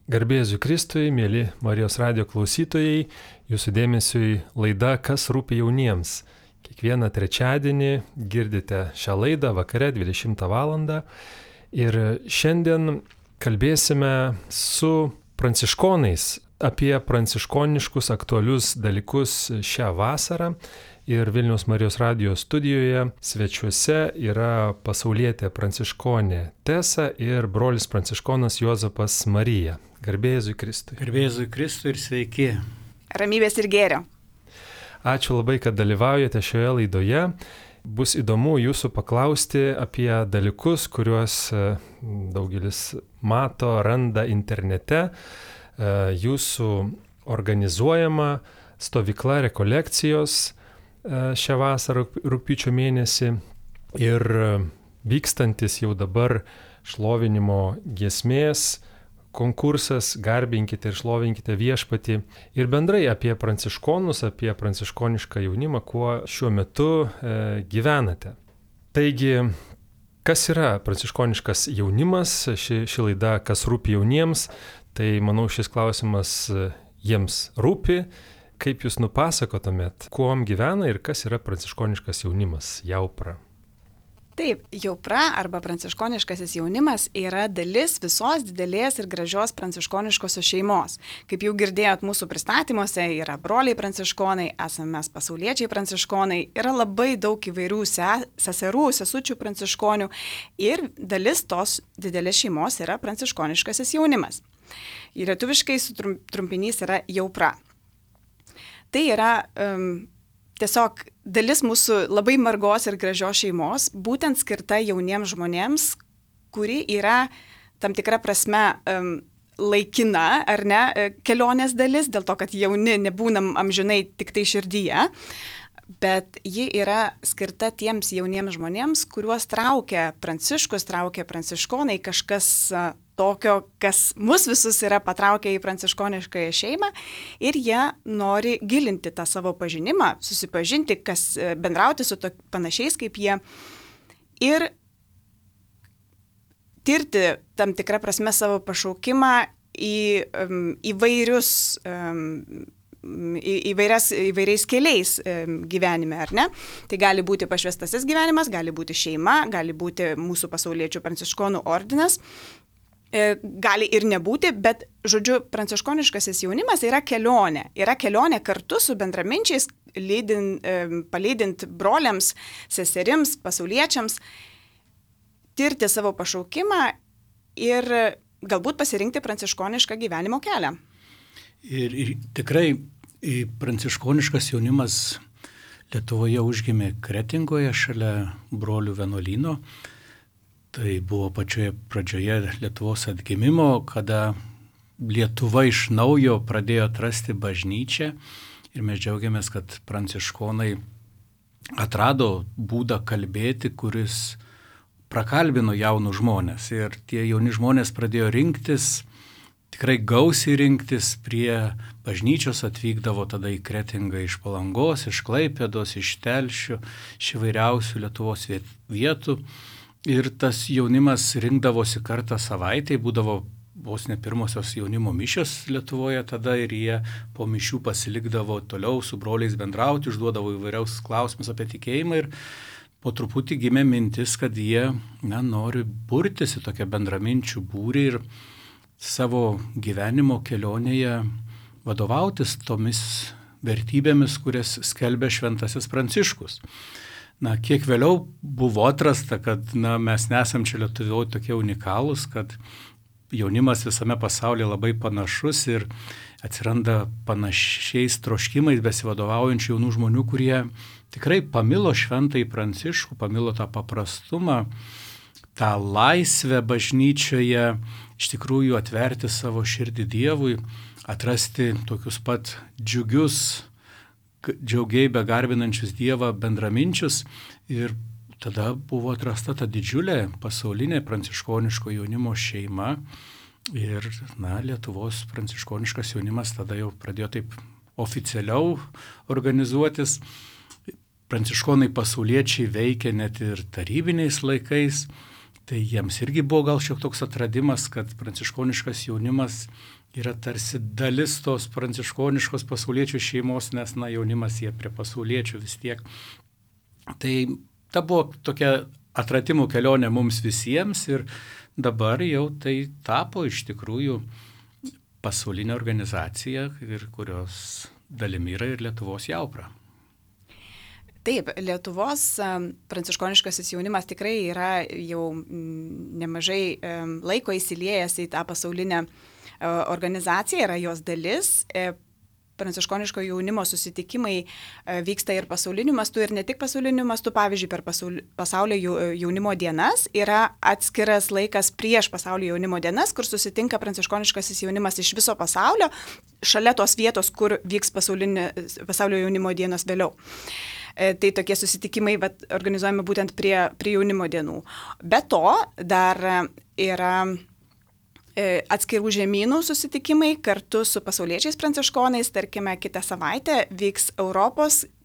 Garbė Jėzui Kristui, mėly Marijos radijo klausytojai, jūsų dėmesiui laida Kas rūpi jauniems. Kiekvieną trečiadienį girdite šią laidą vakare 20 val. Ir šiandien kalbėsime su pranciškonais apie pranciškoniškus aktualius dalykus šią vasarą. Ir Vilniaus Marijos radijo studijoje svečiuose yra pasaulietė pranciškonė Tesa ir brolis pranciškonas Juozapas Marija. Garbė Jėzui Kristui. Garbė Jėzui Kristui ir sveiki. Ramybės ir gėrio. Ačiū labai, kad dalyvaujate šioje laidoje. Bus įdomu jūsų paklausti apie dalykus, kuriuos daugelis mato, randa internete. Jūsų organizuojama stovykla rekolekcijos šią vasarą rugpjūčio mėnesį ir vykstantis jau dabar šlovinimo giesmės konkursas Garbinkite ir šlovinkite viešpatį ir bendrai apie pranciškonus, apie pranciškonišką jaunimą, kuo šiuo metu gyvenate. Taigi, kas yra pranciškoniškas jaunimas, ši laida Kas rūpi jauniems, tai manau šis klausimas jiems rūpi. Kaip jūs nupasakotumėt, kuom gyvena ir kas yra pranciškoniškas jaunimas, Jaupra? Taip, Jaupra arba pranciškoniškasis jaunimas yra dalis visos didelės ir gražios pranciškoniškosios šeimos. Kaip jau girdėjot mūsų pristatymuose, yra broliai pranciškonai, esame mes pasauliečiai pranciškonai, yra labai daug įvairių seserų, sesučių pranciškonių ir dalis tos didelės šeimos yra pranciškoniškasis jaunimas. Ir lietuviškai trumpinys yra Jaupra. Tai yra tiesiog dalis mūsų labai margos ir gražios šeimos, būtent skirta jauniems žmonėms, kuri yra tam tikra prasme laikina, ar ne, kelionės dalis, dėl to, kad jauni nebūnam amžinai tik tai širdyje, bet ji yra skirta tiems jauniems žmonėms, kuriuos traukia Pranciškus, traukia pranciškonai, kažkas tokio, kas mus visus yra patraukę į pranciškoniškąją šeimą ir jie nori gilinti tą savo pažinimą, susipažinti, bendrauti su panašiais kaip jie ir tirti tam tikrą prasme savo pašaukimą įvairiais keliais gyvenime, ar ne? Tai gali būti pašvestasis gyvenimas, gali būti šeima, gali būti mūsų pasauliečių pranciškonų ordinas. Gali ir nebūti, bet, žodžiu, pranciškoniškasis jaunimas yra kelionė kartu su bendraminčiais, palydint broliams, seserims, pasauliečiams, tirti savo pašaukimą ir galbūt pasirinkti pranciškonišką gyvenimo kelią. Ir tikrai pranciškoniškas jaunimas Lietuvoje užgimė Kretingoje šalia brolių vienuolyno. Tai buvo pačioje pradžioje Lietuvos atgimimo, kada Lietuva iš naujo pradėjo atrasti bažnyčią ir mes džiaugiamės, kad pranciškonai atrado būdą kalbėti, kuris prakalbino jaunus žmonės. Ir tie jauni žmonės pradėjo rinktis, tikrai gausiai rinktis, prie bažnyčios atvykdavo tada į Kretingą iš Palangos, iš Klaipėdos, iš Telšių, iš įvairiausių Lietuvos vietų. Ir tas jaunimas rinkdavosi kartą savaitėje, būdavo vos ne pirmosios jaunimo mišios Lietuvoje tada ir jie po mišių pasilikdavo toliau su broliais bendrauti, užduodavo įvairiaus klausimus apie tikėjimą ir po truputį gimė mintis, kad jie nori burtis į tokią bendraminčių būrį ir savo gyvenimo kelionėje vadovautis tomis vertybėmis, kurias skelbė šventasis Pranciškus. Kiek vėliau buvo atrasta, kad mes nesam čia Lietuvoje tokie unikalūs, kad jaunimas visame pasaulyje labai panašus ir atsiranda panašiais troškimais besivadovaujančių jaunų žmonių, kurie tikrai pamilo šventąjį Pranciškų, pamilo tą paprastumą, tą laisvę bažnyčioje, iš tikrųjų atverti savo širdį Dievui, atrasti tokius pat džiaugiai begarbinančius Dievą bendraminčius ir tada buvo atrasta ta didžiulė pasaulinė pranciškoniško jaunimo šeima ir Lietuvos pranciškoniškas jaunimas tada jau pradėjo taip oficialiau organizuotis. Pranciškonai pasauliečiai veikė net ir tarybiniais laikais, Tai jiems irgi buvo gal šiek toks atradimas, kad pranciškoniškas jaunimas yra tarsi dalis tos pranciškoniškos pasauliečių šeimos, nes jaunimas jie prie pasauliečių vis tiek. Tai ta buvo tokia atradimų kelionė mums visiems ir dabar jau tai tapo iš tikrųjų pasaulinė organizacija, ir kurios dalimi yra ir Lietuvos Jaupra. Taip, Lietuvos pranciškoniškasis jaunimas tikrai yra jau nemažai laiko įsiliejęs į tą pasaulinę organizaciją, yra jos dalis. Pranciškoniško jaunimo susitikimai vyksta ir pasauliniu mastu, ir ne tik pasauliniu mastu. Pavyzdžiui, per pasaulio jaunimo dienas yra atskiras laikas prieš pasaulio jaunimo dienas, kur susitinka pranciškoniškasis jaunimas iš viso pasaulio, šalia tos vietos, kur vyks pasaulio jaunimo dienos vėliau. Tai tokie susitikimai organizuojami būtent prie jaunimo dienų. Be to, dar yra atskirų žemynų susitikimai kartu su pasauliečiais pranciškonais. Tarkime, kitą savaitę vyks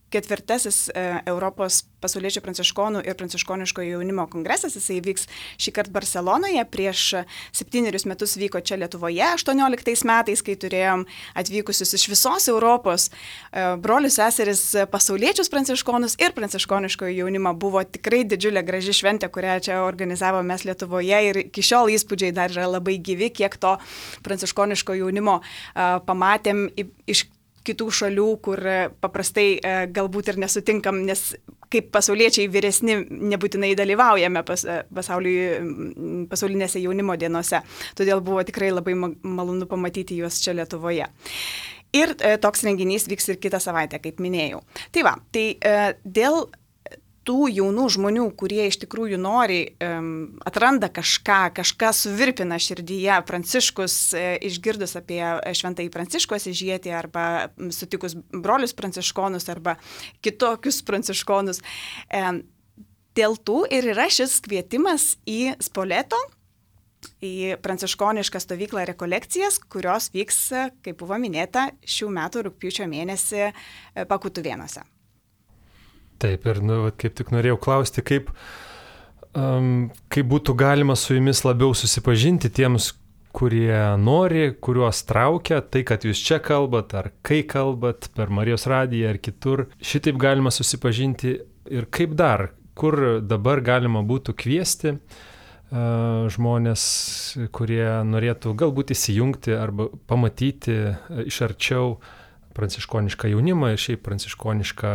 ketvirtasis Europos pasauliečių pranciškonų ir pranciškoniško jaunimo kongresas. Jisai vyks šį kartą Barcelonoje, prieš 7 metus vyko čia Lietuvoje, 18 metais, kai turėjom atvykusius iš visos Europos brolius, seseris, pasauliečius pranciškonus ir pranciškoniško jaunimą. Buvo tikrai didžiulė graži šventė, kurią čia organizavome mes Lietuvoje, ir iki šiol įspūdžiai dar yra labai gyvi, kiek to pranciškoniško jaunimo pamatėm iš kitų šalių, kur paprastai galbūt ir nesutinkam, nes kaip pasauliečiai vyresni nebūtinai dalyvaujame pasaulinėse jaunimo dienose. Todėl buvo tikrai labai malonu pamatyti juos čia Lietuvoje. Ir toks renginys vyks ir kitą savaitę, kaip minėjau. Tai dėl tų jaunų žmonių, kurie iš tikrųjų nori, atranda kažką suvirpina širdyje, Pranciškus, išgirdus apie šventąjį Pranciškų Asyžietį arba sutikus brolius pranciškonus arba kitokius pranciškonus. Dėl tų ir yra šis kvietimas į Spoleto, į pranciškonišką stovyklą rekolekcijas, kurios vyks, kaip buvo minėta, šių metų rugpjūčio mėnesį Pakutuvėnuose. Taip, ir kaip tik norėjau klausti, kaip būtų galima su jumis labiau susipažinti tiems, kurie nori, kuriuos traukia, tai, kad jūs čia kalbat, ar kai kalbat, per Marijos radiją ar kitur. Šitaip galima susipažinti ir kaip dar, kur dabar galima būtų kviesti žmonės, kurie norėtų galbūt įsijungti arba pamatyti iš arčiau pranciškonišką jaunimą ir šiaip pranciškonišką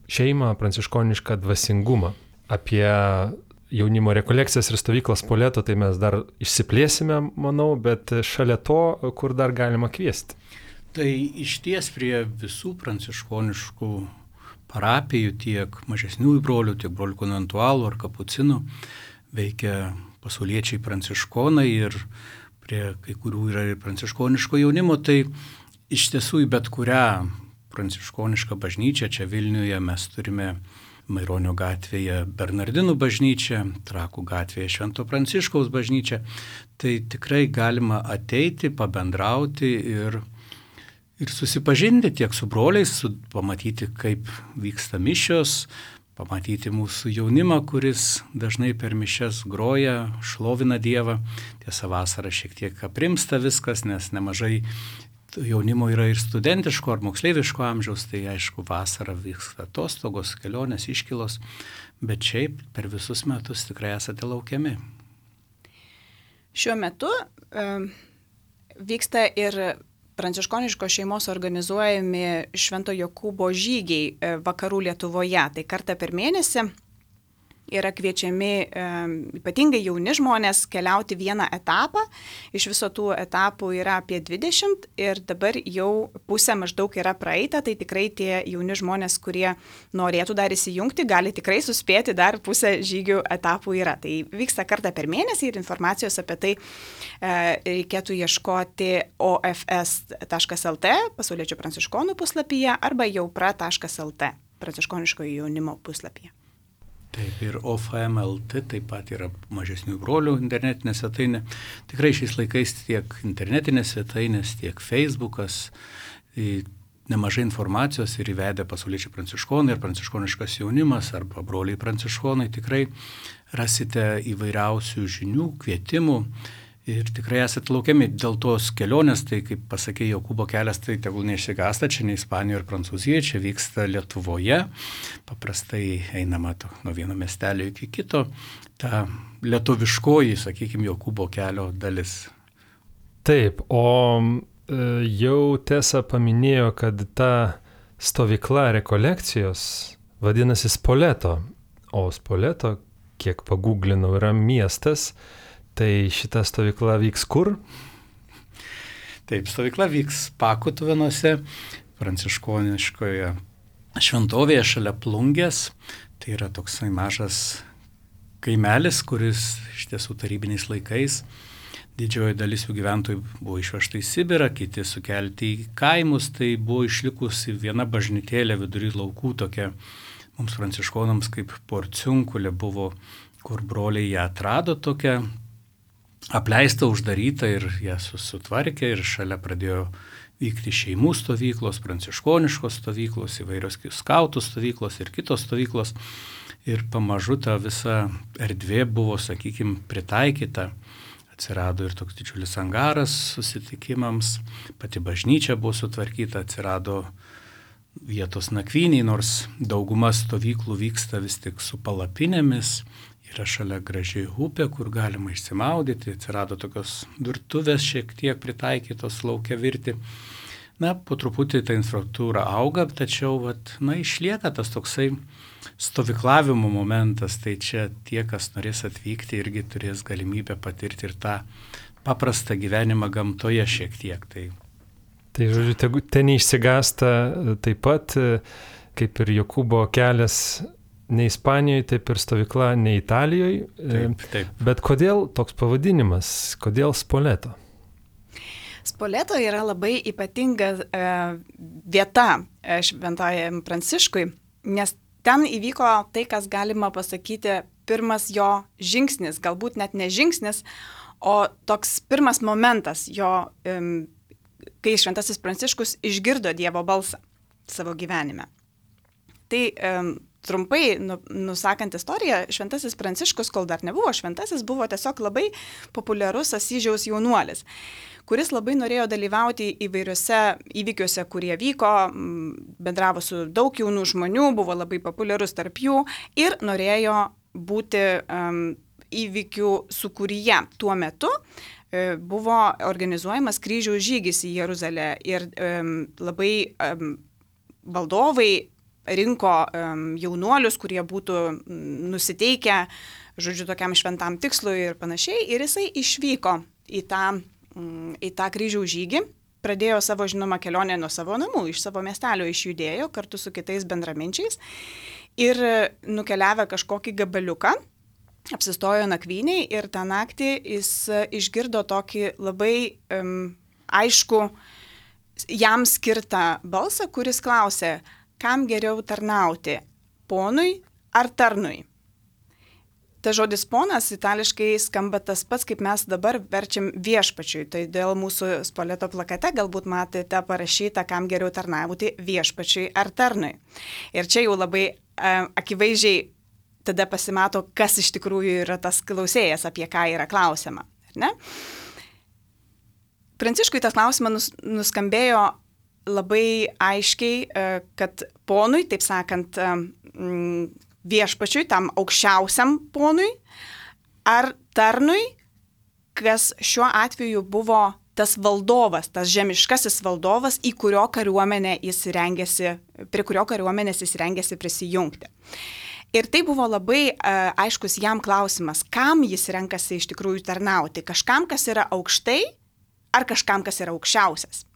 šeimą, pranciškonišką dvasingumą. Apie jaunimo rekolekcijas ir stovyklas Spoleto tai mes dar išsiplėsime, manau, bet šalia to, kur dar galima kviesti. Tai išties prie visų pranciškoniškų parapijų, tiek mažesniųjų brolių, tiek brolių konventualų ar kapucinų, veikia pasauliečiai pranciškonai, ir prie kai kurių yra ir pranciškoniško jaunimo. Tai iš tiesų į bet kurią pranciškonišką bažnyčią, čia Vilniuje mes turime Maironio gatvėje Bernardinų bažnyčią, Trakų gatvėje Švento Pranciškaus bažnyčią. Tai tikrai galima ateiti, pabendrauti ir susipažinti tiek su broliais, pamatyti, kaip vyksta mišios, pamatyti mūsų jaunimą, kuris dažnai per mišias groja, šlovina Dievą. Tiesa, vasarą šiek tiek aprimsta viskas, nes nemažai jaunimo yra ir studentiško ar moksleiviško amžiaus, tai aišku, vasarą vyksta atostogos, kelionės, iškylos, bet šiaip per visus metus tikrai esate laukiami. Šiuo metu vyksta ir pranciškoniškos šeimos organizuojami Švento Jokūbo žygiai vakarų Lietuvoje. Tai kartą per mėnesį yra kviečiami ypatingai jauni žmonės keliauti vieną etapą. Iš viso tų etapų yra apie 20 ir dabar jau pusė maždaug yra praeita, tai tikrai tie jauni žmonės, kurie norėtų dar įsijungti, gali tikrai suspėti, dar pusė žygių etapų yra. Tai vyksta kartą per mėnesį ir informacijos apie tai reikėtų ieškoti ofs.lt pasauliečių pranciškonų puslapyje arba jaupra.lt pranciškoniškojo jaunimo puslapyje. Taip, ir OFM.lt taip pat yra mažesnių brolių internetinė svetainė. Tikrai šiais laikais tiek internetinės svetainės, tiek Facebookas nemažai informacijos ir įvedę pasauliečiai pranciškonai ir pranciškoniškas jaunimas arba broliai pranciškonai tikrai rasite įvairiausių žinių, kvietimų ir tikrai esate laukiami. Dėl tos kelionės, tai kaip pasakė Jokūbo kelias, tai tegul neišsigąsta, čia ne Ispanijoje ir Prancūzijoje, čia vyksta Lietuvoje. Paprastai einama nuo vieno miestelio iki kito. Ta lietuviškoji, sakykime, Jokūbo kelio dalis. Taip, o jau Tesa paminėjo, kad ta stovykla rekolekcijos vadinasi Spoleto, o Spoleto, kiek paguglinau, yra miestas. Tai šita stovykla vyks kur? Taip, stovykla vyks Pakutuvinuose, pranciškoniškoje šventovėje šalia Plungės. Tai yra toksai mažas kaimelis, kuris iš tiesų tarybiniais laikais didžioji dalis jų gyventojų buvo išvežta į Sibirą, kiti sukelti į kaimus. Tai buvo išlikusi viena bažnytėlė vidury laukų, tokia mums pranciškonams kaip porciunkulė buvo, kur broliai ją atrado tokia apleista, uždaryta ir ją sutvarkė ir šalia pradėjo vykti šeimų stovyklos, pranciškoniškos stovyklos, įvairios skautų stovyklos ir kitos stovyklos. Ir pamažu ta visa erdvė buvo, sakykime, pritaikyta. Atsirado ir toks didžiulis angaras susitikimams, pati bažnyčia buvo sutvarkyta, atsirado vietos nakvyniai, nors dauguma stovyklų vyksta vis tik su palapinėmis. Yra šalia graži upė, kur galima išsimaudyti, atsirado tokios virtuvės šiek tiek pritaikytos lauke virti. Po truputį ta infrastruktūra auga, tačiau išlieka tas toksai stovyklavimo momentas, tai čia tie, kas norės atvykti, irgi turės galimybę patirti ir tą paprastą gyvenimą gamtoje šiek tiek. Tai žodžiu, ten neišsigąsta taip pat, kaip ir Jokūbo kelias, ne Ispanijoje, taip ir stovykla ne Italijoje. Taip. Bet kodėl toks pavadinimas? Kodėl Spoleto? Spoleto yra labai ypatinga vieta šventajam Pranciškui, nes ten įvyko tai, kas galima pasakyti pirmas jo žingsnis, galbūt net ne žingsnis, o toks pirmas momentas jo, kai šventasis Pranciškus išgirdo Dievo balsą savo gyvenime. Tai trumpai nusakant istoriją, šventasis Pranciškus, kol dar nebuvo šventasis, buvo tiesiog labai populiarus Asyžiaus jaunuolis, kuris labai norėjo dalyvauti įvairiuose įvykiuose, kurie vyko, bendravo su daug jaunų žmonių, buvo labai populiarus tarp jų ir norėjo būti įvykių sūkuryje. Tuo metu buvo organizuojamas kryžiaus žygis į Jeruzalę ir labai valdovai rinko jaunuolius, kurie būtų nusiteikę, žodžiu, tokiam šventam tikslui ir panašiai. Ir jisai išvyko į tą kryžiaus žygį, pradėjo savo, žinoma, kelionę nuo savo namų, iš savo miestelio išjudėjo kartu su kitais bendraminčiais ir nukeliavę kažkokį gabaliuką, apsistojo nakvyniai ir tą naktį jis išgirdo tokį labai aišku jam skirtą balsą, kuris klausė, kam geriau tarnauti, ponui ar tarnui. Ta žodis ponas itališkai skamba tas pats, kaip mes dabar verčiam viešpačiui. Tai dėl mūsų Spoleto plakate galbūt matėte parašyta, kam geriau tarnauti, viešpačiui ar tarnui. Ir čia jau labai akivaizdžiai tada pasimato, kas iš tikrųjų yra tas klausėjas, apie ką yra klausiama. Ne? Pranciškui tas klausimas nuskambėjo labai aiškiai, kad ponui, taip sakant, viešpačiui, tam aukščiausiam ponui, ar tarnui, kas šiuo atveju buvo tas valdovas, tas žemiškasis valdovas, prie kurio kariuomenės jis rengėsi prisijungti. Ir tai buvo labai aiškus jam klausimas, kam jis renkasi iš tikrųjų tarnauti, kažkam, kas yra aukštai, ar kažkam, kas yra aukščiausias.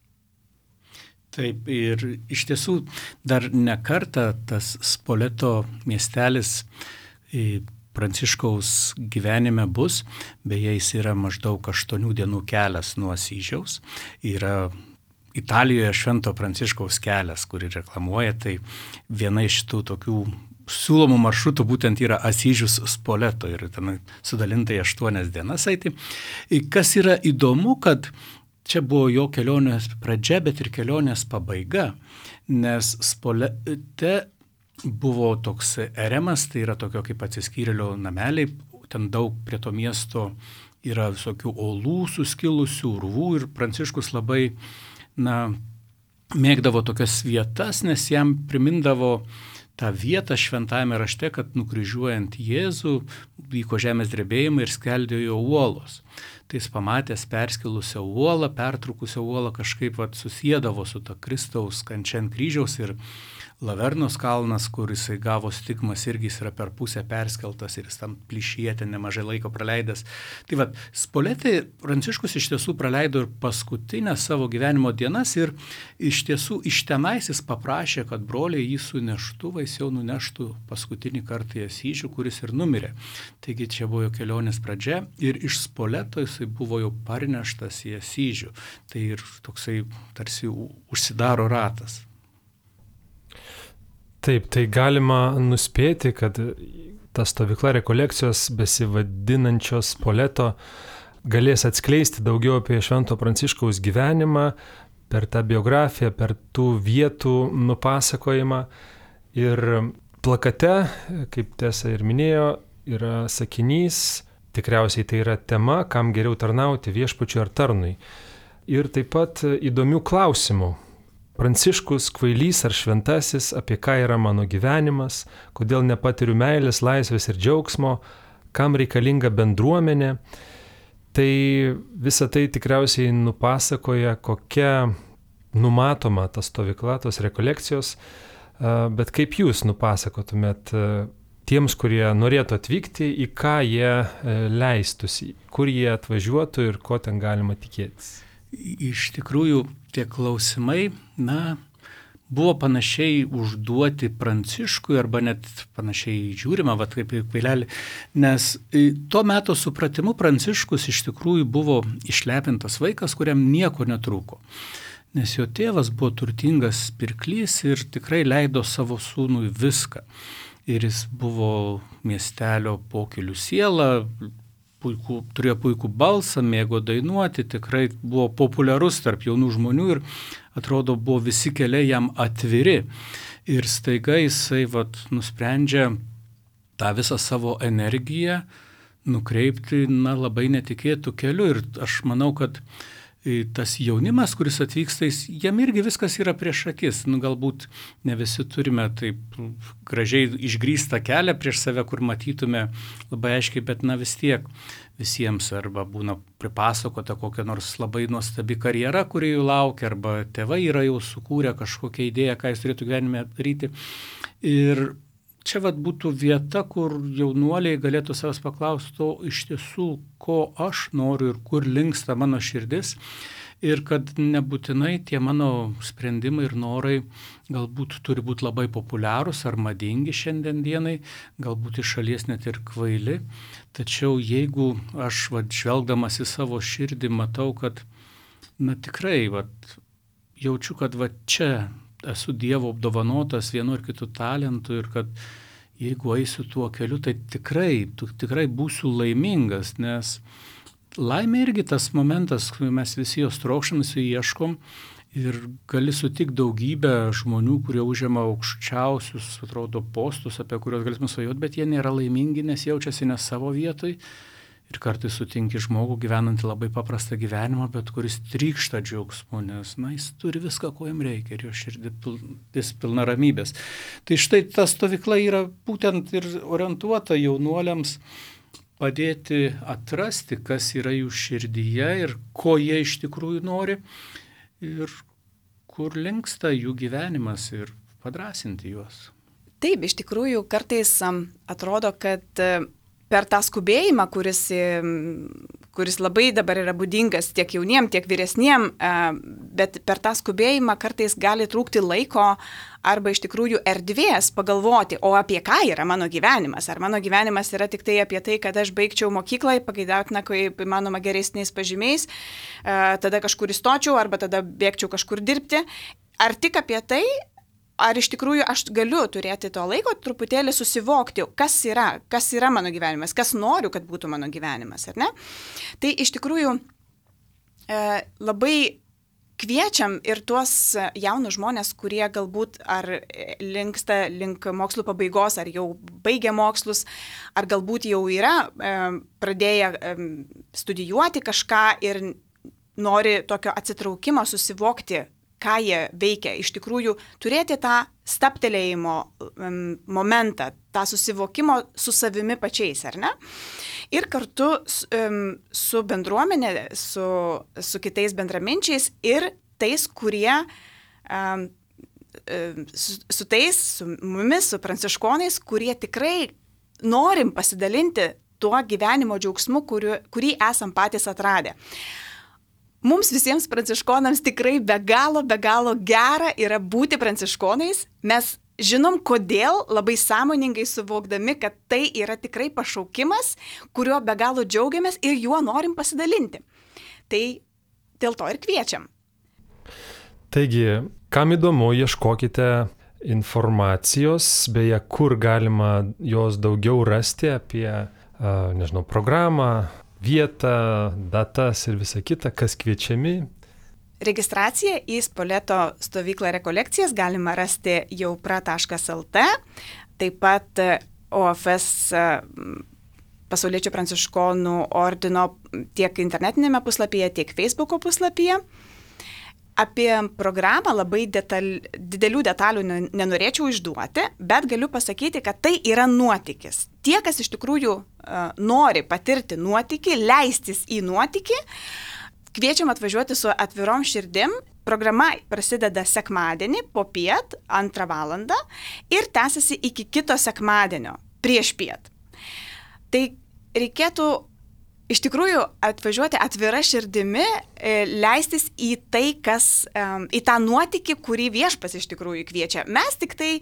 Taip, ir iš tiesų dar ne kartą tas Spoleto miestelis Pranciškaus gyvenime bus, beje, jis yra maždaug 8 dienų kelias nuo Asyžiaus, yra Italijoje Švento Pranciškaus kelias, kurį reklamuoja, tai viena iš tų tokių siūlomų maršrutų būtent yra Asyžius Spoleto ir ten sudalinta į 8 dienas eiti. Kas yra įdomu, kad čia buvo jo kelionės pradžia, bet ir kelionės pabaiga, nes Spolete buvo toks eremas, tai yra tokio kaip atsiskyrėlio nameliai, ten daug prie to miesto yra visokių olų suskilusių, urvų ir Pranciškus labai, mėgdavo tokias vietas, nes jam primindavo tą vietą šventajame rašte, kad nukryžiuojant Jėzų vyko žemės drebėjimai ir skeldėjo uolos. Tai jis pamatęs perskilusią uolą, pertrūkusią uolą kažkaip susiedavo su ta Kristaus kančia ant kryžiaus ir Lavernos kalnas, kur jisai gavo stigmas, irgi jis yra per pusę perskeltas ir jis tam plyšyje ten nemažai laiko praleidęs. Tai Spolete Pranciškus iš tiesų praleido ir paskutinę savo gyvenimo dienas ir iš tiesų iš tenais jis paprašė, kad broliai jį su neštuvais jau nuneštų paskutinį kartą į Asyžių, kuris ir numirė. Taigi čia buvo jo kelionės pradžia ir iš Spoleto jisai buvo jau parneštas į Asyžių. Tai ir toksai tarsi užsidaro ratas. Taip, tai galima nuspėti, kad ta stovykla rekolekcijos besivadinančios Spoleto galės atskleisti daugiau apie Švento Pranciškaus gyvenimą per tą biografiją, per tų vietų nupasakojimą. Ir plakate, kaip Tesa ir minėjo, yra sakinys, tikriausiai tai yra tema, kam geriau tarnauti, viešpačiui ar tarnui. Ir taip pat įdomių klausimų. Pranciškus, kvailys ar šventasis, apie ką yra mano gyvenimas, kodėl nepatiriu meilės, laisvės ir džiaugsmo, kam reikalinga bendruomenė. Tai visa tai tikriausiai nupasakoja, kokia numatoma ta stovykla, tos rekolekcijos, bet kaip jūs nupasakotumėt tiems, kurie norėtų atvykti, į ką jie leistųsi, kur jie atvažiuotų ir ko ten galima tikėtis? Iš tikrųjų, tie klausimai, buvo panašiai užduoti Pranciškui arba net panašiai žiūrima, kaip į kvailelį, nes tuo metu supratimu Pranciškus iš tikrųjų buvo išlepintas vaikas, kuriam nieko netrūko. Nes jo tėvas buvo turtingas pirklys ir tikrai leido savo sūnui viską. Ir jis buvo miestelio pokylių siela, turėjo puikų balsą, mėgo dainuoti, tikrai buvo populiarus tarp jaunų žmonių ir atrodo buvo visi keliai jam atviri. Ir staiga jisai nusprendžia tą visą savo energiją nukreipti labai netikėtų keliu. Ir aš manau, kad tas jaunimas, kuris atvyksta, jam irgi viskas yra prieš akis. Galbūt ne visi turime taip gražiai išgrįstą kelią prieš save, kur matytume labai aiškiai, bet vis tiek visiems arba būna pripasakota kokia nors labai nuostabi karjera, kuri jų laukia, arba tėvai yra jau sukūrę kažkokią idėją, ką jis turėtų gyvenime daryti. Ir čia būtų vieta, kur jaunuoliai galėtų savęs paklausti, iš tiesų, ko aš noriu ir kur linksta mano širdis. Ir kad nebūtinai tie mano sprendimai ir norai galbūt turi būti labai populiarūs ar madingi šiandien dienai, galbūt iš šalies net ir kvaili. Tačiau jeigu aš žvelgdamas į savo širdį matau, kad tikrai jaučiu, kad čia esu Dievo apdovanotas vienu ar kitu talentu ir kad jeigu eisiu tuo keliu, tai tikrai būsiu laimingas, nes laimė irgi tas momentas, kai mes visi jos trokštam, visi ieškom ir gali sutikti daugybę žmonių, kurie užima aukščiausius, atrodo, postus, apie kuriuos galėsime svajoti, bet jie nėra laimingi, nes jaučiasi ne savo vietoj. Ir kartais sutinki žmogų gyvenantį labai paprastą gyvenimą, bet kuris trykšta džiaugsmu, nes jis turi viską, ko jam reikia ir jo širdis pilna ramybės. Tai štai ta stovykla yra būtent ir orientuota jaunuoliams padėti atrasti, kas yra jų širdyje ir ko jie iš tikrųjų nori ir kur linksta jų gyvenimas ir padrąsinti juos. Taip, iš tikrųjų kartais atrodo, kad per tą skubėjimą, kuris labai dabar yra būdingas tiek jauniem, tiek vyresniem, bet per tą skubėjimą kartais gali trūkti laiko arba iš tikrųjų erdvės pagalvoti, o apie ką yra mano gyvenimas. Ar mano gyvenimas yra tik tai apie tai, kad aš baigčiau mokyklą, pageidautina, kaip įmanoma geresniais pažymiais, tada kažkur įstočiau arba tada bėgčiau kažkur dirbti. Ar tik apie tai? Ar iš tikrųjų aš galiu turėti to laiko truputėlį susivokti, kas yra mano gyvenimas, kas noriu, kad būtų mano gyvenimas, ar ne? Tai iš tikrųjų labai kviečiam ir tuos jaunus žmonės, kurie galbūt ar linksta link mokslų pabaigos, ar jau baigė mokslus, ar galbūt jau yra pradėję studijuoti kažką ir nori tokio atsitraukimo, susivokti, ką jie veikia. Iš tikrųjų, turėti tą staptelėjimo momentą, tą susivokimo su savimi pačiais, ar ne? Ir kartu su bendruomenė, su kitais bendraminčiais ir tais, kurie su mumis, su pranciškonais, kurie tikrai norim pasidalinti tuo gyvenimo džiaugsmu, kurį esam patys atradę. Mums visiems pranciškonams tikrai be galo gera yra būti pranciškonais. Mes žinom, kodėl, labai sąmoningai suvokdami, kad tai yra tikrai pašaukimas, kuriuo be galo džiaugiamės ir juo norim pasidalinti. Tai dėl to ir kviečiam. Taigi, kam įdomu, ieškokite informacijos, beje, kur galima jos daugiau rasti apie, programą, vietą, datas ir visa kita, kas kviečiami. Registraciją į Spoleto stovyklą rekolekcijas galima rasti jaupra.lt, taip pat OFS Pasauliečių pranciškonų ordino tiek internetinėme puslapyje, tiek Facebooko puslapyje. Apie programą labai didelių detalių nenorėčiau išduoti, bet galiu pasakyti, kad tai yra nuotykis. Tie, kas iš tikrųjų nori patirti nuotykį, leistis į nuotykį, kviečiam atvažiuoti su atvirom širdim. Programa prasideda sekmadienį popiet 2 valandą ir tęsiasi iki kito sekmadienio prieš piet. Tai reikėtų iš tikrųjų atvažiuoti atvira širdimi, leistis į tai, į tą nuotykį, kurį Viešpats iš tikrųjų kviečia. Mes tik tai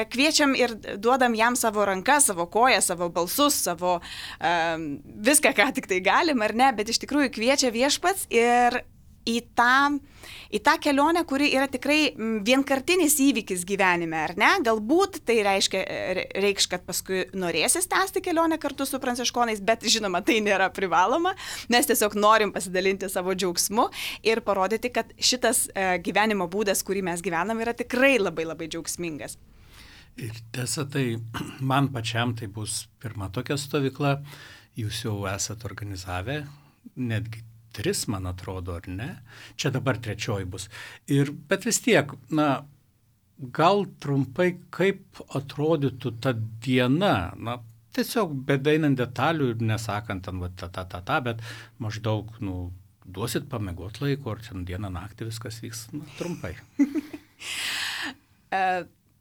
kviečiam ir duodam jam savo rankas, savo koją, savo balsus, savo viską, ką tik tai galim, ar ne, bet iš tikrųjų kviečia Viešpats ir į tą kelionę, kuri yra tikrai vienkartinis įvykis gyvenime, ar ne? Galbūt tai reikš, kad paskui norėsis tęsti kelionę kartu su pranciškonais, bet žinoma, tai nėra privaloma. Mes tiesiog norim pasidalinti savo džiaugsmu ir parodyti, kad šitas gyvenimo būdas, kurį mes gyvenam, yra tikrai labai džiaugsmingas. Ir tiesa, tai man pačiam tai bus pirma tokia stovykla, jūs jau esat organizavę, netgi 3, man atrodo, ar ne? Čia dabar 3 bus. Bet vis tiek, gal trumpai, kaip atrodytų ta diena, tiesiog bedeinant detalių ir nesakant ten bet maždaug, duosit pamiegot laiko, ar ten dieną naktį viskas vyks, trumpai.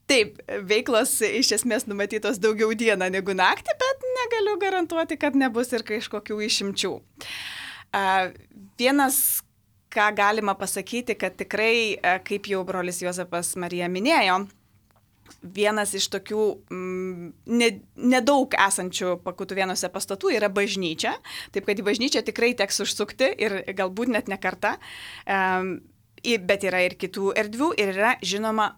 Taip, veiklos iš esmės numatytos daugiau dieną negu naktį, bet negaliu garantuoti, kad nebus ir kažkokių išimčių. Vienas, ką galima pasakyti, kad tikrai, kaip jau brolis Juozapas Marija minėjo, vienas iš tokių nedaug esančių Pakutuvėnuose pastatų yra bažnyčia, taip kad į bažnyčią tikrai teks užsukti ir galbūt net ne kartą, bet yra ir kitų erdvių ir yra, žinoma,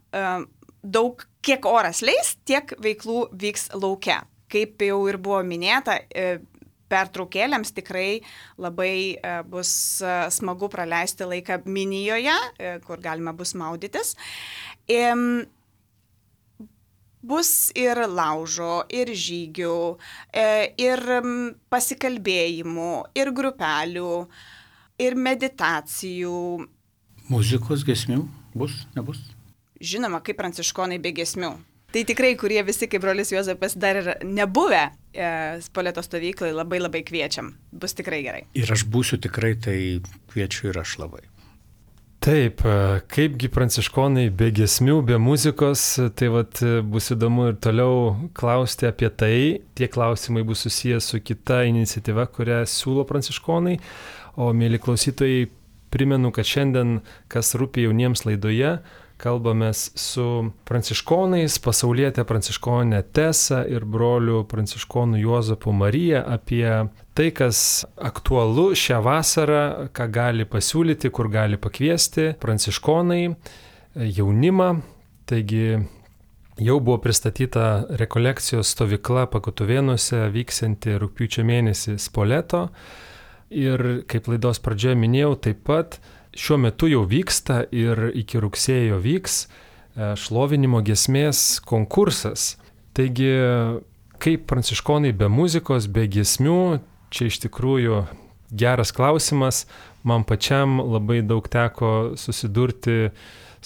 daug, kiek oras leis, tiek veiklų vyks lauke. Kaip jau ir buvo minėta, pertraukėlėms tikrai labai bus smagu praleisti laiką minijoje, kur galima bus maudytis. Bus ir laužo, ir žygių, ir pasikalbėjimų, ir grupelių, ir meditacijų. Muzikos, giesmių bus, nebus? Žinoma, kaip pranciškonai be giesmių. Tai tikrai, kurie visi, kaip brolis Juozapas, dar ir nebuvę Spoleto stovyklai, labai kviečiam. Bus tikrai gerai. Ir aš būsiu tikrai, tai kviečiu ir aš labai. Taip, kaipgi pranciškonai be giesmių, be muzikos, tai bus įdomu ir toliau klausti apie tai. Tie klausimai bus susijęs su kita iniciatyva, kurią siūlo pranciškonai. O, mėly klausytojai, primenu, kad šiandien, kas rūpi jauniems laidoje, kalbamės su pranciškonais, pasaulietė pranciškonė Tesa ir broliu pranciškonu Juozapu Marija apie tai, kas aktualu šią vasarą, ką gali pasiūlyti, kur gali pakviesti pranciškonai, jaunimą. Taigi jau buvo pristatyta rekolekcijos stovykla Pakutuvėnuose vyksianti rugpjūčio mėnesį Spoleto. Ir kaip laidos pradžioje minėjau, taip pat šiuo metu jau vyksta ir iki rugsėjo vyks šlovinimo giesmės konkursas. Taigi, kaip pranciškonai be muzikos, be giesmių, čia iš tikrųjų geras klausimas. Man pačiam labai daug teko susidurti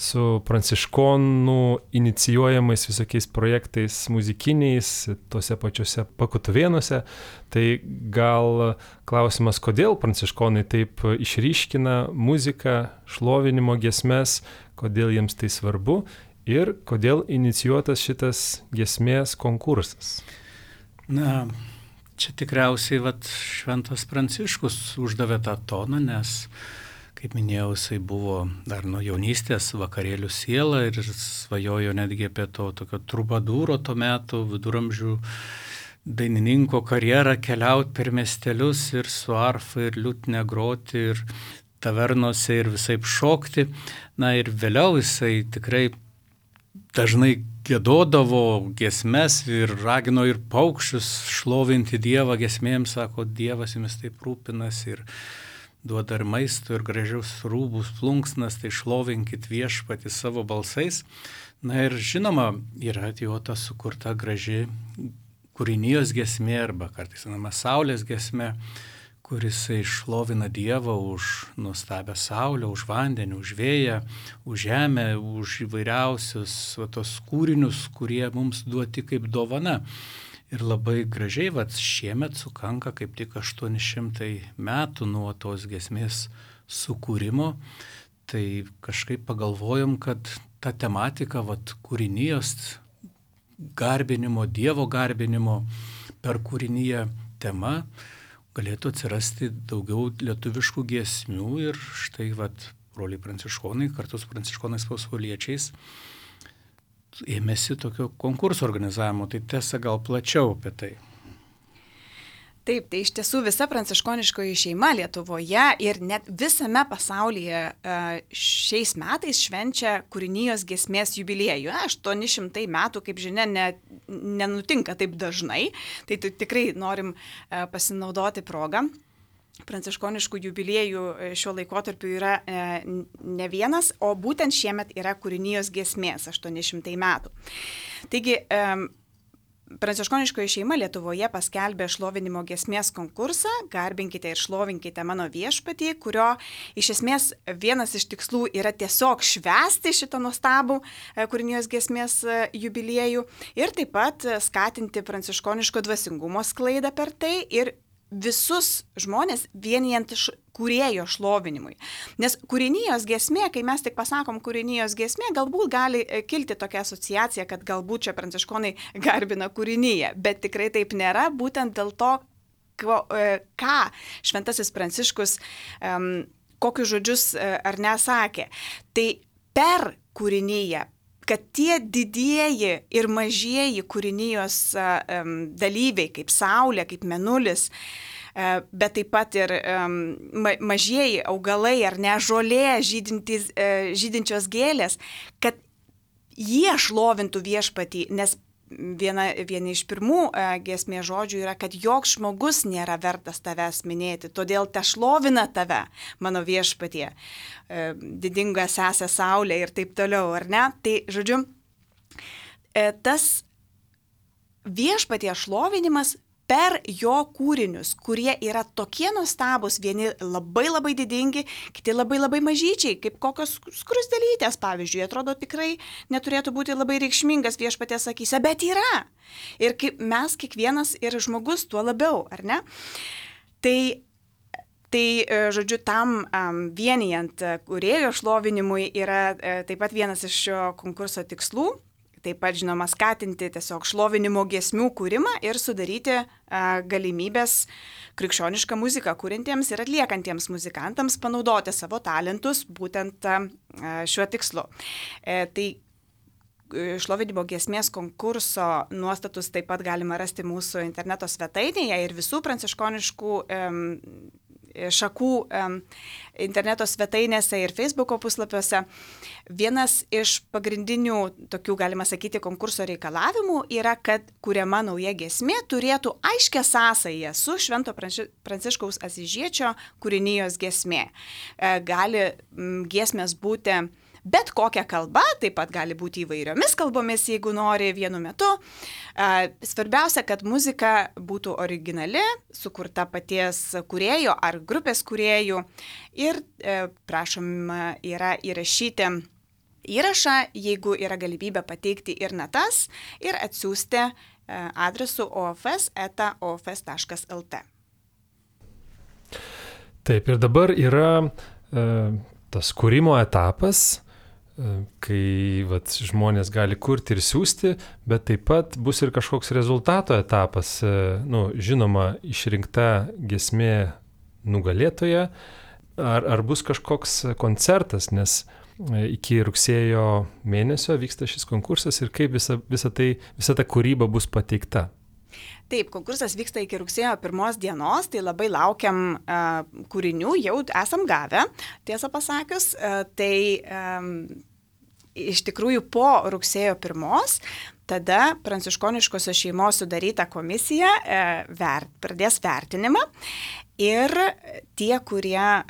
su pranciškonų inicijuojamais visokiais projektais muzikiniais, tuose pačiuose Pakutuvėnuose. Tai gal klausimas, kodėl pranciškonai taip išryškina muziką, šlovinimo giesmes, kodėl jiems tai svarbu ir kodėl inicijuotas šitas giesmės konkursas. Na, čia tikriausiai šventas Pranciškus uždavė tą toną, nes, kaip minėjau, jisai buvo dar nuo jaunystės vakarėlių siela ir svajojo netgi apie to tokio trubadūro to metu, viduramžių dainininko karjerą, keliauti per miestelius ir su arfa ir liutne groti ir tavernose ir visaip šokti. Na ir vėliau jisai tikrai dažnai giedodavo giesmes ir ragino ir paukščius šlovinti Dievą giesmėms, sako, Dievas jumis taip rūpinasi ir duoda ir maisto, ir gražius rūbus, plunksnas, tai šlovinkit Viešpatį savo balsais. Na ir žinoma, yra jo ta sukurta graži kūrinijos giesmė arba kartais vadinama saulės giesmė, kuris šlovina Dievą už nuostabią saulę, už vandenį, už vėją, už žemę, už įvairiausius tos kūrinius, kurie mums duoti kaip dovana. Ir labai gražiai, šiemet sukanka kaip tik 800 metų nuo tos giesmės sukūrimo. Tai kažkaip pagalvojom, kad ta tematika, kūrinijos garbinimo, Dievo garbinimo per kūriniją tema galėtų atsirasti daugiau lietuviškų giesmių ir štai, broliai pranciškonai kartu su pranciškonais pasauliečiais ėmėsi tokio konkurso organizavimo, tai tiesa gal plačiau apie tai. Taip, tai iš tiesų visa pranciškoniškoji šeima Lietuvoje ir net visame pasaulyje šiais metais švenčia kūrinijos giesmės jubiliejų. 800 metų, kaip žinia, nenutinka taip dažnai, tai tikrai norim pasinaudoti progą. Pranciškoniškų jubiliejų šiuo laikotarpiu yra ne vienas, o būtent šiemet yra kūrinijos giesmės 800 metų. Taigi, pranciškoniškoji šeima Lietuvoje paskelbė šlovinimo giesmės konkursą Garbinkite ir šlovinkite mano Viešpatį, kurio iš esmės vienas iš tikslų yra tiesiog švęsti šitą nuostabų kūrinijos giesmės jubiliejų ir taip pat skatinti pranciškoniško dvasingumo sklaidą per tai ir visus žmonės vienijant kūrėjo šlovinimui. Nes kūrinijos giesmė, kai mes tik pasakom kūrinijos giesmė, galbūt gali kilti tokia asociacija, kad galbūt čia pranciškonai garbina kūriniją, bet tikrai taip nėra, būtent dėl to, ką šventasis Pranciškus, kokius žodžius ar nesakė. Tai per kūriniją, kad tie didieji ir mažieji kūrinijos dalyviai, kaip saulė, kaip mėnulis, bet taip pat ir mažieji augalai ar ne žolė, žydinčios gėlės, kad jie šlovintų Viešpatį, nes vieni iš pirmų giesmės žodžių yra, kad joks žmogus nėra vertas tavęs minėti, todėl te šlovina tave, mano Viešpatie, didinga sesė saulė ir taip toliau, ar ne? Tai, žodžiu, tas Viešpatie šlovinimas per jo kūrinius, kurie yra tokie nuostabus, vieni labai labai didingi, kiti labai labai mažyčiai, kaip kokios skruzdėlytės, pavyzdžiui, atrodo tikrai neturėtų būti labai reikšmingas Viešpaties akyse, bet yra. Ir kaip mes kiekvienas ir žmogus tuo labiau, ar ne? Tai žodžiu, tam vienijant kūrėjo šlovinimui yra taip pat vienas iš šio konkurso tikslų. Taip pat, žinoma, skatinti tiesiog šlovinimo giesmių kūrimą ir sudaryti galimybės krikščionišką muziką kūrintiems ir atliekantiems muzikantams panaudoti savo talentus būtent šiuo tikslu. Tai šlovinimo giesmės konkurso nuostatus taip pat galima rasti mūsų interneto svetainėje ir visų pranciškoniškų šakų interneto svetainėse ir Facebooko puslapiuose. Vienas iš pagrindinių tokių, galima sakyti, konkurso reikalavimų yra, kad kuriama nauja giesmė turėtų aiškę sąsają su Švento Pranciškaus Asyžiečio kūrinijos giesmė. Gali giesmės būti bet kokia kalba, taip pat gali būti įvairiomis kalbomis, jeigu nori vienu metu. Svarbiausia, kad muzika būtų originali, sukurta paties kūrėjo ar grupės kūrėjų ir prašoma yra įrašyti įrašą, jeigu yra galimybė pateikti ir natas ir atsiųsti adresu ofs@ofs.lt. Taip, ir dabar yra tas kūrimo etapas, kai žmonės gali kurti ir siūsti, bet taip pat bus ir kažkoks rezultato etapas, žinoma, išrinkta giesmė nugalėtoja, ar bus kažkoks koncertas, nes iki rugsėjo mėnesio vyksta šis konkursas ir kaip visa ta kūryba bus pateikta. Taip, konkursas vyksta iki rugsėjo 1 dienos, tai labai laukiam kūrinių, jau esam gavę, tiesą pasakius. Iš tikrųjų po rugsėjo 1 tada pranciškoniškosios šeimos sudaryta komisija pradės vertinimą ir tie, kurie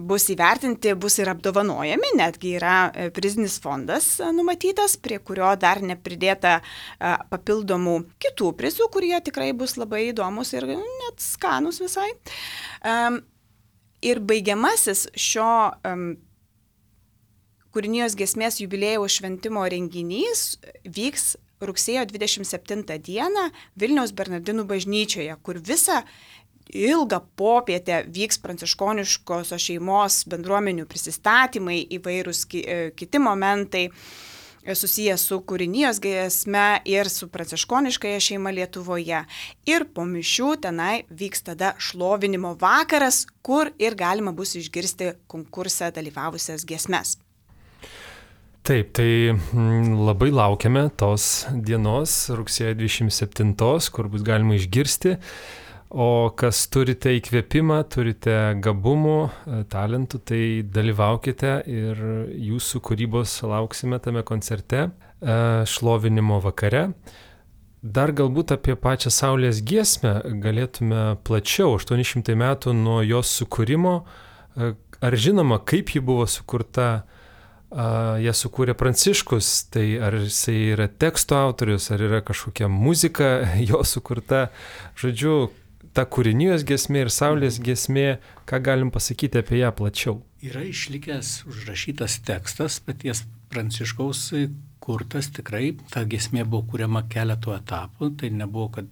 bus įvertinti, bus ir apdovanojami, netgi yra prizinis fondas numatytas, prie kurio dar nepridėta papildomų kitų prizų, kurie tikrai bus labai įdomus ir net skanus visai. Ir baigiamasis šio kūrinijos giesmės jubiliejaus šventimo renginys vyks rugsėjo 27 dieną Vilniaus Bernardinų bažnyčioje, kur visą ilgą popietę vyks pranciškoniškosios šeimos bendruomenių prisistatymai, įvairūs kiti momentai susijęs su kūrinijos giesme ir su pranciškoniškąja šeima Lietuvoje. Ir po mišių tenai vyks tada šlovinimo vakaras, kur ir galima bus išgirsti konkurse dalyvavusias giesmes. Taip, tai labai laukiame tos dienos, rugsėjo 27, kur bus galima išgirsti. O kas turite įkvėpimą, turite gabumų, talentų, tai dalyvaukite ir jūsų kūrybos lauksime tame koncerte šlovinimo vakare. Dar galbūt apie pačią Saulės giesmę galėtume plačiau, 800 metų nuo jos sukūrimo. Ar žinoma, kaip ji buvo sukurta? Ją sukūrė Pranciškus, tai ar jisai yra teksto autorius, ar yra kažkokia muzika jo sukurta. Žodžiu, ta kūrinijos giesmė ir Saulės giesmė, ką galim pasakyti apie ją plačiau? Yra išlikęs užrašytas tekstas, paties Pranciškaus kurtas, tikrai ta giesmė buvo kuriama keletų etapų, tai nebuvo, kad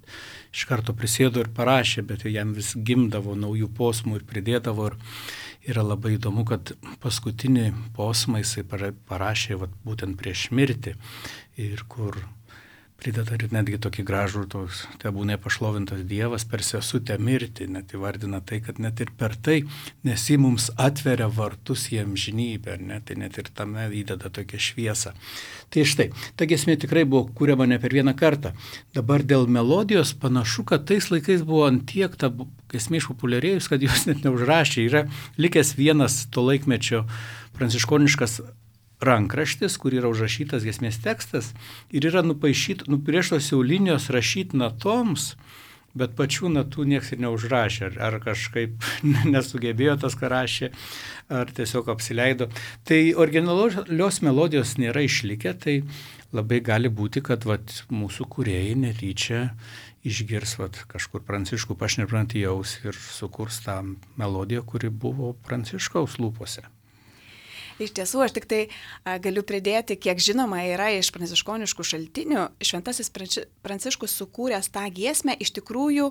iš karto prisėdo ir parašė, bet jam vis gimdavo naujų posmų ir pridėdavo. Ir yra labai įdomu, kad paskutinį posmą jisai parašė būtent prieš mirtį ir kur prideda ir netgi tokį gražų, tebūnie pašlovintas Dievas per sesutę mirtį, net įvardina tai, kad net ir per tai, nes jis mums atveria vartus į amžinybę, tai net ir tame įdeda tokią šviesą. Tai štai, ta giesmė tikrai buvo kuriama ne per vieną kartą. Dabar dėl melodijos panašu, kad tais laikais buvo antiek ta giesmė išpopuliarėjus, kad jos net neužrašė. Yra likęs vienas to laikmečio pranciškoniškas rankraštis, kur yra užrašytas giesmės tekstas ir yra nupieštos jau linijos rašyti natoms, bet pačių natų nieks ir neužrašė, ar kažkaip nesugebėjo tas, ką rašė, ar tiesiog apsileido. Tai originalios melodijos nėra išlikę, tai labai gali būti, kad mūsų kūrėjai netyčia išgirs kažkur Pranciškų pašneprant jaus ir sukurs tą melodiją, kuri buvo Pranciškaus lūpose. Iš tiesų, aš tik tai galiu pridėti, kiek žinoma yra iš pranciškoniškų šaltinių. Šventasis Pranciškus sukūręs tą giesmę, iš tikrųjų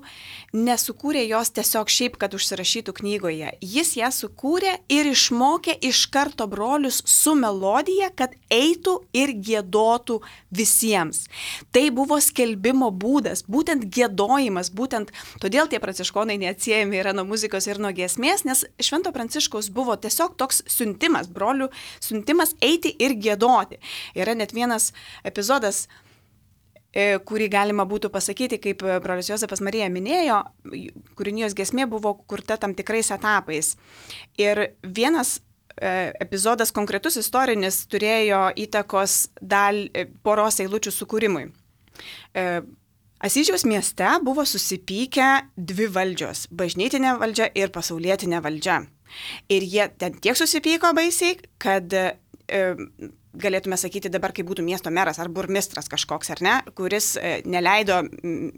nesukūrė jos tiesiog šiaip, kad užsirašytų knygoje. Jis ją sukūrė ir išmokė iš karto brolius su melodija, kad eitų ir giedotų visiems. Tai buvo skelbimo būdas, būtent giedojimas, būtent todėl tie pranciškonai neatsiejami yra nuo muzikos ir nuo giesmės, nes Švento Pranciškaus buvo tiesiog toks siuntimas, siuntimas eiti ir giedoti. Yra net vienas epizodas kurį galima būtų pasakyti, kaip brolis Jozapas Marija minėjo, kūrinijos giesmė buvo kurta tam tikrais etapais. Ir vienas epizodas konkretus istorinis turėjo įtakos poros eilučių sukūrimui. Asyžiaus mieste buvo susipykę dvi valdžios – bažnytinė valdžia ir pasaulietinė valdžia. Ir jie ten tiek susipyko baisiai, kad galėtume sakyti dabar, kaip būtų miesto meras ar burmistras kažkoks, ar ne, kuris neleido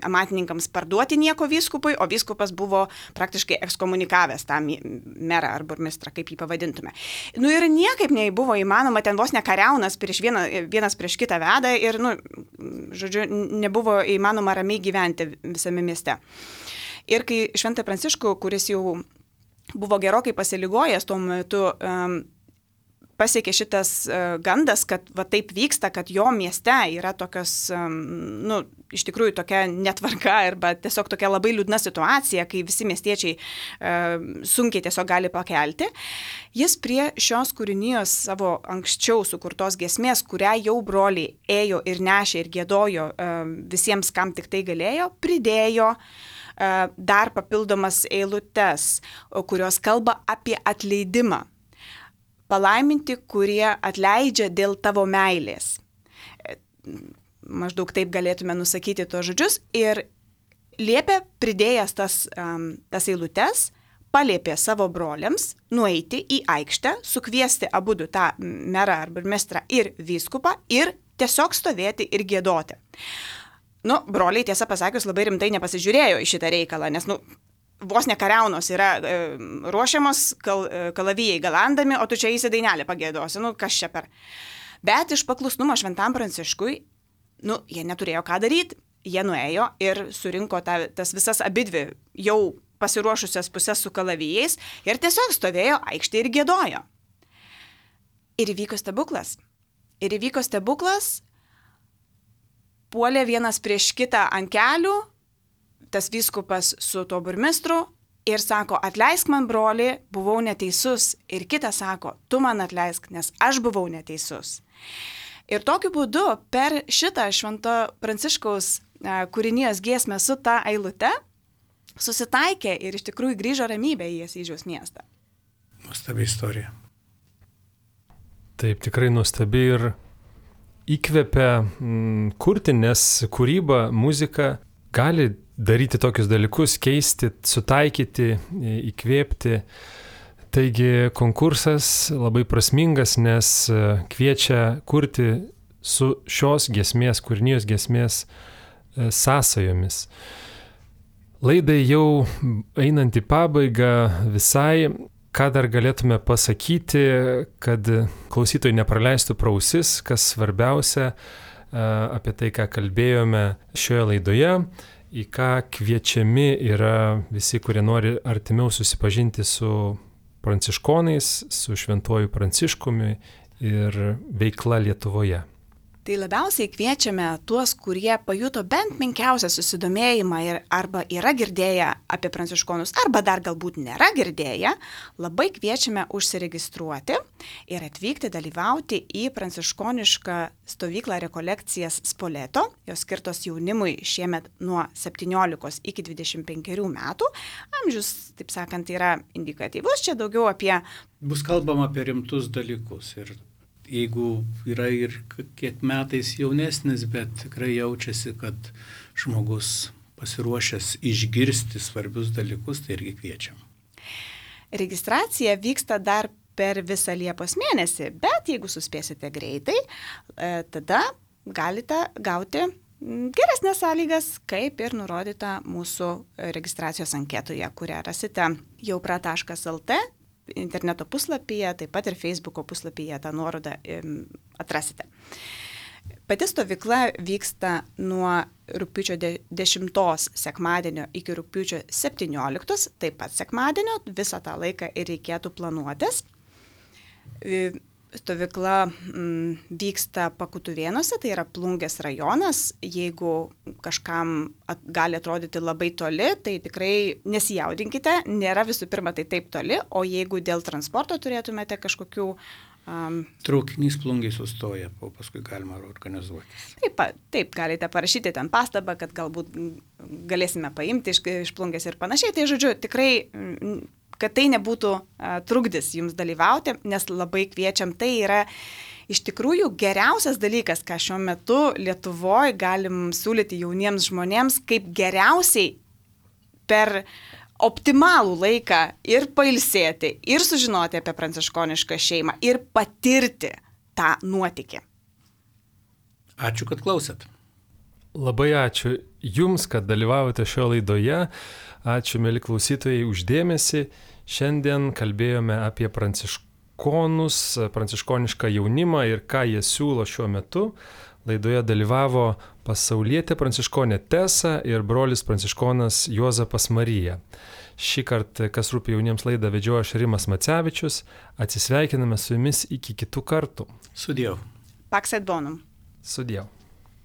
amatininkams parduoti nieko vyskupui, o vyskupas buvo praktiškai ekskomunikavęs tą merą ar burmistrą, kaip jį pavadintume. Nu ir niekaip nebuvo įmanoma, ten vos nekariaunas vienas prieš kitą veda ir, žodžiu, nebuvo įmanoma ramiai gyventi visame mieste. Ir kai Šventą Pranciškų, kuris jau buvo gerokai pasiligojęs tuo metu, pasiekė šitas gandas, kad va taip vyksta, kad jo mieste yra tokios, iš tikrųjų tokia netvarka arba tiesiog tokia labai liūdna situacija, kai visi miestiečiai sunkiai tiesiog gali pakelti. Jis prie šios kūrinijos savo anksčiau sukurtos giesmės, kurią jau broliai ėjo ir nešė ir giedojo visiems, kam tik tai galėjo, pridėjo dar papildomas eilutes, kurios kalba apie atleidimą. Palaiminti, kurie atleidžia dėl tavo meilės. Maždaug taip galėtume nusakyti tuos žodžius. Ir liepė, pridėjęs tas eilutes, paliepė savo broliams nueiti į aikštę, sukviesti abudu tą merą ar burmistrą ir vyskupą ir tiesiog stovėti ir giedoti. Broliai, tiesą pasakius, labai rimtai nepasižiūrėjo į šitą reikalą, nes, vos nekariaunos yra ruošiamos kalavijai galandami, o tu čia įsi dainelę pagėdosi, kas čia per. Bet iš paklusnumo Šventam Pranciškui, jie neturėjo ką daryti, jie nuėjo ir surinko tas visas abidvi jau pasiruošusias pusės su kalavijais ir tiesiog stovėjo aikštėje ir giedojo. Ir įvyko stebuklas, puolė vienas prieš kitą ant kelių, tas vyskupas su tuo burmistru ir sako, atleisk man, broli, buvau neteisus. Ir kitas sako, tu man atleisk, nes aš buvau neteisus. Ir tokiu būdu per šitą Švento Pranciškaus kūrinijos giesmę su ta eilute susitaikė ir iš tikrųjų grįžo ramybė į Asyžiaus miestą. Nuostabi istorija. Taip, tikrai nuostabi ir įkvepia kurti, nes kūryba, muzika gali daryti tokius dalykus, keisti, sutaikyti, įkvėpti. Taigi konkursas labai prasmingas, nes kviečia kurti su šios giesmės, kūrinijos giesmės sąsajomis. Laidai jau einant į pabaigą visai, ką dar galėtume pasakyti, kad klausytojai nepraleistų pro ausis, kas svarbiausia apie tai, ką kalbėjome šioje laidoje, į ką kviečiami yra visi, kurie nori artimiau susipažinti su pranciškonais, su Šventuoju Pranciškumi ir veikla Lietuvoje. Tai labiausiai kviečiame tuos, kurie pajuto bent menkiausią susidomėjimą arba yra girdėję apie pranciškonus, arba dar galbūt nėra girdėję, labai kviečiame užsiregistruoti ir atvykti dalyvauti į pranciškonišką stovyklą rekolekcijas Spoleto, jos skirtos jaunimui šiemet nuo 17 iki 25 metų. Amžius, taip sakant, yra indikatyvus, čia daugiau apie... Bus kalbama apie rimtus dalykus ir jeigu yra ir kiek metais jaunesnis, bet tikrai jaučiasi, kad žmogus pasiruošęs išgirsti svarbius dalykus, tai irgi kviečiam. Registracija vyksta dar per visą Liepos mėnesį, bet jeigu suspėsite greitai, tada galite gauti geresnės sąlygas, kaip ir nurodyta mūsų registracijos anketoje, kurią rasite jaupra.lt. Interneto puslapyje, taip pat ir Facebooko puslapyje tą nuorodą atrasite. Pati stovykla vyksta nuo rugpjūčio 10 sekmadienio iki rugpjūčio 17, taip pat sekmadienio, visą tą laiką ir reikėtų planuotis. Stovykla vyksta Pakutuvėnuose, tai yra Plungės rajonas. Jeigu kažkam gali atrodyti labai toli, tai tikrai nesijaudinkite, nėra visų pirma tai taip toli, o jeigu dėl transporto turėtumėte kažkokių Traukinys Plungėj sustoja, o paskui galima organizuoti. Taip, galite parašyti ten pastabą, kad galbūt galėsime paimti iš Plungės ir panašiai. Tai žodžiu, tikrai, kad tai nebūtų trukdis jums dalyvauti, nes labai kviečiam. Tai yra iš tikrųjų geriausias dalykas, ką šiuo metu Lietuvoje galim siūlyti jauniems žmonėms, kaip geriausiai per optimalų laiką ir pailsėti, ir sužinoti apie pranciškonišką šeimą, ir patirti tą nuotykį. Ačiū, kad klausėt. Labai ačiū Jums, kad dalyvavote šioje laidoje. Ačiū, mėly klausytojai, už dėmesį. Šiandien kalbėjome apie pranciškonus, pranciškonišką jaunimą ir ką jie siūlo šiuo metu. Laidoje dalyvavo pasaulietė pranciškonė Tesa ir brolis pranciškonas Juozapas Marija. Šį kartą, kas rūpi jauniems, laidą vedžiojo aš Rimas Macevičius. Atsisveikiname su jumis iki kitų kartų. Sudiev. Pax et bonum. Sudiev.